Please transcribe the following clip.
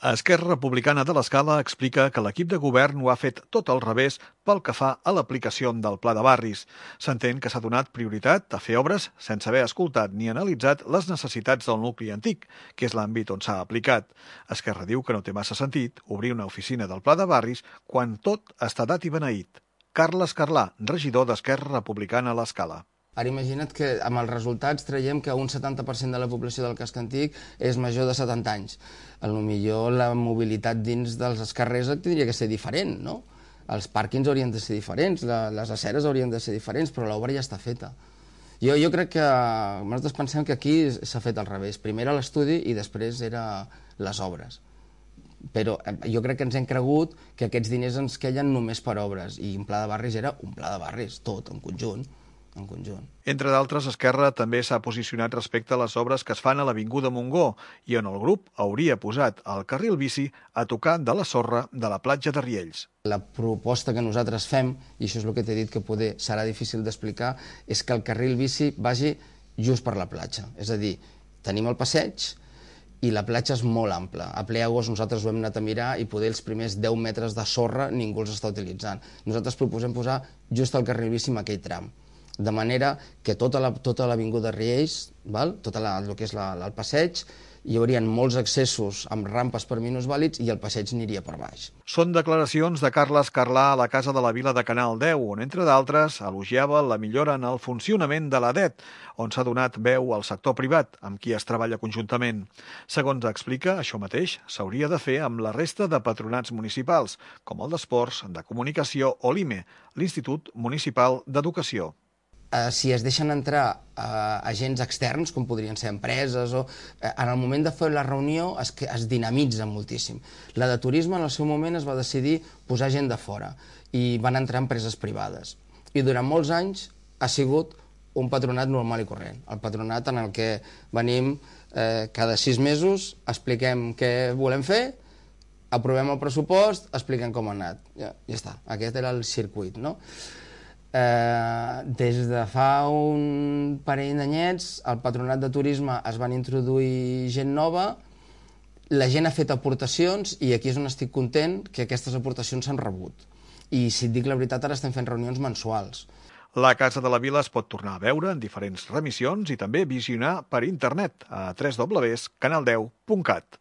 Esquerra Republicana de l'Escala explica que l'equip de govern ho ha fet tot al revés pel que fa a l'aplicació del Pla de Barris. S'entén que s'ha donat prioritat a fer obres sense haver escoltat ni analitzat les necessitats del nucli antic, que és l'àmbit on s'ha aplicat. Esquerra diu que no té massa sentit obrir una oficina del Pla de Barris quan tot està dat i beneït. Carles Carlà, regidor d'Esquerra Republicana a l'Escala. Ara imagina't que amb els resultats traiem que un 70% de la població del casc antic és major de 70 anys. Potser la mobilitat dins dels carrers tindria que ser diferent, no? Els pàrquings haurien de ser diferents, les aceres haurien de ser diferents, però l'obra ja està feta. Jo crec que nosaltres pensem que aquí s'ha fet al revés. Primer era l'estudi i després era les obres. Però jo crec que ens hem cregut que aquests diners ens queien només per obres i un pla de barris era un pla de barris, tot, en conjunt. Entre d'altres, Esquerra també s'ha posicionat respecte a les obres que es fan a l'Avinguda Montgó i on el grup hauria posat el carril bici a tocar de la sorra de la platja de Riells. La proposta que nosaltres fem, i això és el que t'he dit que poder serà difícil d'explicar, és que el carril bici vagi just per la platja. És a dir, tenim el passeig i la platja és molt ampla. A ple agost nosaltres ho hem anat a mirar i poder els primers 10 metres de sorra ningú els està utilitzant. Nosaltres proposem posar just el carril bici en aquell tram, de manera que tota l'avinguda Riells, tot el que és el passeig, hi haurien molts accessos amb rampes per minusvàlids i el passeig aniria per baix. Són declaracions de Carles Carlà a la Casa de la Vila de Canal 10, on, entre d'altres, elogiava la millora en el funcionament de l'ADET, on s'ha donat veu al sector privat, amb qui es treballa conjuntament. Segons explica, això mateix s'hauria de fer amb la resta de patronats municipals, com el d'Esports, de Comunicació o l'IME, l'Institut Municipal d'Educació. Si es deixen entrar agents externs, com podrien ser empreses, en el moment de fer la reunió es dinamitza moltíssim. La de turisme en el seu moment es va decidir posar gent de fora i van entrar empreses privades. I durant molts anys ha sigut un patronat normal i corrent. El patronat en el que venim cada 6 mesos, expliquem què volem fer, aprovem el pressupost, expliquem com ha anat. Ja està, aquest era el circuit, no? Des de fa un parell d'anyets al patronat de turisme es van introduir gent nova, la gent ha fet aportacions i aquí és on estic content que aquestes aportacions s'han rebut. I si et dic la veritat, ara estem fent reunions mensuals. La Casa de la Vila es pot tornar a veure en diferents remissions i també visionar per internet a www.canal10.cat.